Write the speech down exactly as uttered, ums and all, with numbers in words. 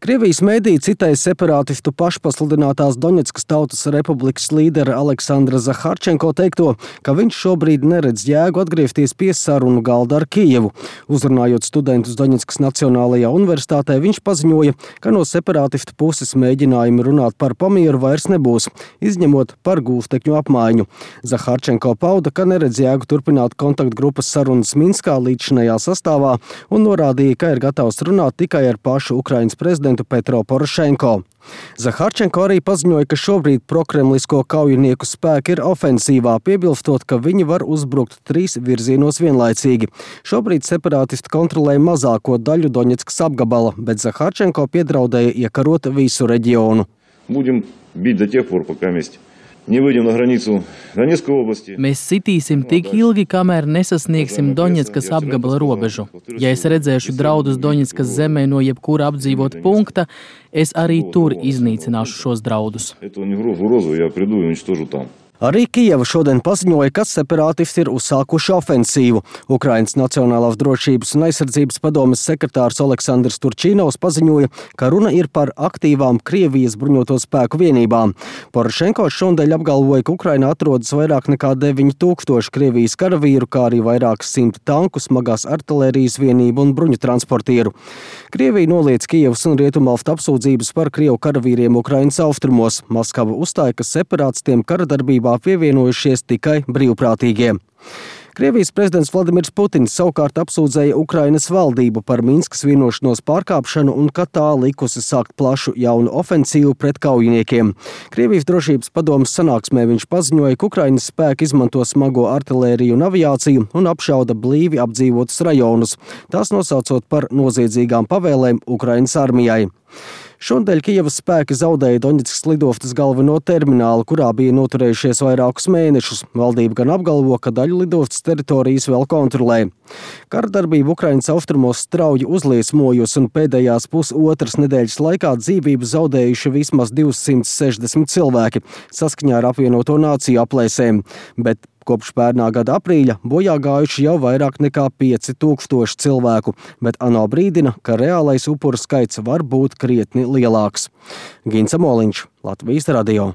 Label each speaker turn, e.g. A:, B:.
A: Krievijas mēdī citēja separātistu pašpasludinātās Doņetskas Tautas Republikas līdera Aleksandra Zaharčenko teikto, ka viņš šobrīd neredz jēgu atgriezties pie sarunu galda ar Kijevu. Uzrunājot studentus Doņetskas Nacionālajā universitātē, viņš paziņoja, ka no separātistu puses mēģinājumi runāt par pamieru vairs nebūs, izņemot par gūstekņu apmaiņu. Zaharčenko pauda, ka neredz jēgu turpināt kontaktgrupas sarunas Minskā līdzšinējā sastāvā un norādīja, ka ir gatavs runāt tikai ar pašu Ukrainas prezidentu Petro Porošenko. Zaharčenko arī paziņoja, ka šobrīd prokremlisko kaujinieku spēki ir ofensīvā, piebilstot, ka viņi var uzbrukt trīs virzienos vienlaicīgi. Šobrīd separātisti kontrolē mazāko daļu Doņetskas apgabala, bet Zaharčenko piedraudēja iekarot visu reģionu.
B: Будем бить до тех пор, пока вместе не выйдем на границу Донецкой области.
C: Mēs sitīsim tik ilgi, kamēr nesasniegsim Doņetskas apgabala robežu. Ja es redzēšu draudus Doņetskas zemē no jebkura apdzīvota punkta, es arī tur iznīcināšu šos draudus.
A: Arī Kijeva šodien paziņoja, ka separātisti ir uzsākuši ofensīvu. Ukrainas Nacionālās drošības un aizsardzības padomes sekretārs Oleksandrs Turčīnovs paziņoja, ka runa ir par aktīvām Krievijas bruņoto spēku vienībām. Porošenko šodien apgalvoja, ka Ukrainā atrodas vairāk nekā deviņi tūkstoši Krievijas karavīru, kā arī vairākas simti tanku, smagās artilērijas vienību un bruņu transportieru. Krievija noliedz Kijevas un Rietumalstu apsūdzības par Krievu karavīriem Ukrainas austrumos. Maskava uzstāja, ka separātistiem kara darbībā pievienojušies tikai brīvprātīgie. Krievijas prezidents Vladimirs Putins savukārt apsūdzēja Ukrainas valdību par Minskas vienošanos pārkāpšanu un ka tā likusi sākt plašu jaunu ofensīvu pret kaujiniekiem. Krievijas drošības padomes sanāksmē viņš paziņoja, ka Ukrainas spēki izmanto smago artilēriju un aviāciju un apšauda blīvi apdzīvotus rajonus, tās nosaucot par noziedzīgām pavēlēm Ukrainas armijai. Šodien Kijevas spēki zaudēja Doņetskas lidostas galveno terminālu, kurā bija noturējušies vairākus mēnešus. Valdība gan apgalvo, ka daļu lidostas teritorijas vēl kontrolē. Karadarbība Ukrainas austrumos strauji uzliesmojusi un pēdējās pusotras nedēļas laikā dzīvību zaudējuši vismaz divsimt sešdesmit cilvēki, saskaņā ar apvienoto nāciju aplēsēm. Bet kopš pērnā gada aprīļa bojā gājuši jau vairāk nekā pieci tūkstoši cilvēku, bet ANO brīdina, ka reālais upuru skaits var būt krietni lielāks. Gints Amoliņš, Latvijas radio.